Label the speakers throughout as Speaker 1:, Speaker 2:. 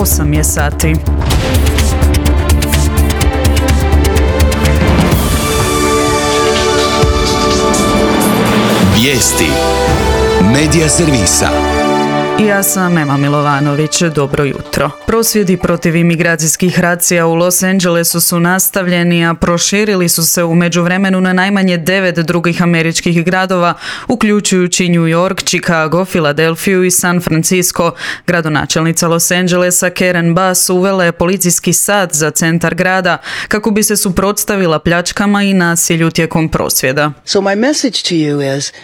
Speaker 1: 8 je sati.
Speaker 2: Vijesti Medija servisa.
Speaker 1: Ja sam Ema Milovanović, dobro jutro. Prosvjedi protiv imigracijskih racija u Los Angelesu su nastavljeni, a proširili su se u međuvremenu na najmanje 9 drugih američkih gradova, uključujući New York, Chicago, Filadelfiju i San Francisco. Gradonačelnica Los Angelesa Karen Bass uvela je policijski sat za centar grada kako bi se suprotstavila pljačkama i nasilju tijekom prosvjeda.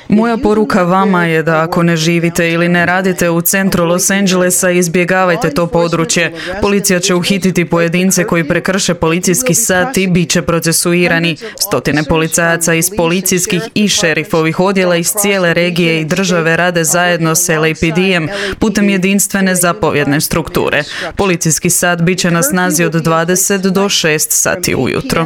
Speaker 1: Moja poruka vama je da ako ne živite ili ne radite u centru Los Angelesa, izbjegavajte to područje. Policija će uhititi pojedince koji prekrše policijski sat i bit će procesuirani. Stotine policajaca iz policijskih i šerifovih odjela iz cijele regije i države rade zajedno s LAPD-em putem jedinstvene zapovjedne strukture. Policijski sat bit će na snazi od 20 do 6 sati ujutro.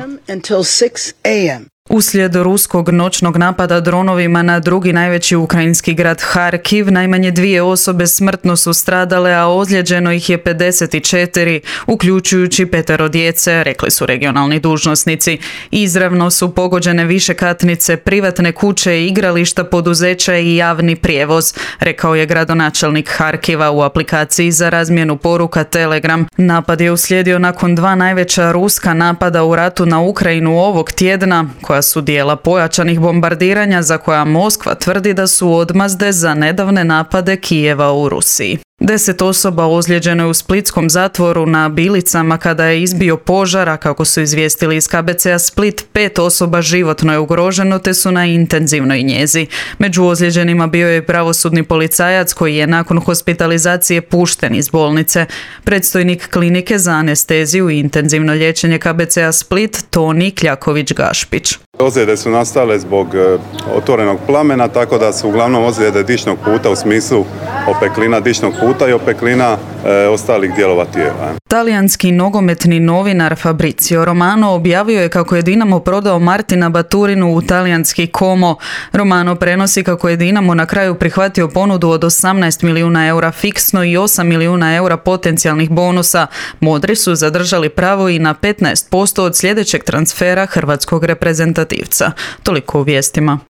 Speaker 1: Uslijed ruskog noćnog napada dronovima na drugi najveći ukrajinski grad Harkiv, najmanje 2 osobe smrtno su stradale, a ozlijeđeno ih je 54, uključujući 5 djece, rekli su regionalni dužnosnici. Izravno su pogođene višekatnice, privatne kuće, igrališta, poduzeća i javni prijevoz, rekao je gradonačelnik Harkiva u aplikaciji za razmjenu poruka Telegram. Napad je uslijedio nakon 2 najveća ruska napada u ratu na Ukrajinu ovog tjedna, koja su dijela pojačanih bombardiranja za koja Moskva tvrdi da su odmazde za nedavne napade Kijeva u Rusiji. 10 osoba ozlijeđeno je u splitskom zatvoru na Bilicama kada je izbio požar, a kako su izvijestili iz KBC-a Split, 5 osoba životno je ugroženo te su na intenzivnoj njezi. Među ozlijeđenima bio je pravosudni policajac koji je nakon hospitalizacije pušten iz bolnice. Predstojnik klinike za anesteziju i intenzivno liječenje KBC-a Split, Toni Kljaković-Gašpić.
Speaker 3: Ozljede su nastale zbog otvorenog plamena, tako da su uglavnom ozljede dišnog puta u smislu opeklina dišnog puta i opeklina ostalih dijelova tijela.
Speaker 1: Talijanski nogometni novinar Fabrizio Romano objavio je kako je Dinamo prodao Martina Baturinu u talijanski Como. Romano prenosi kako je Dinamo na kraju prihvatio ponudu od 18 milijuna eura fiksno i 8 milijuna eura potencijalnih bonusa. Modri su zadržali pravo i na 15% od sljedećeg transfera hrvatskog reprezentativca. Toliko u vijestima.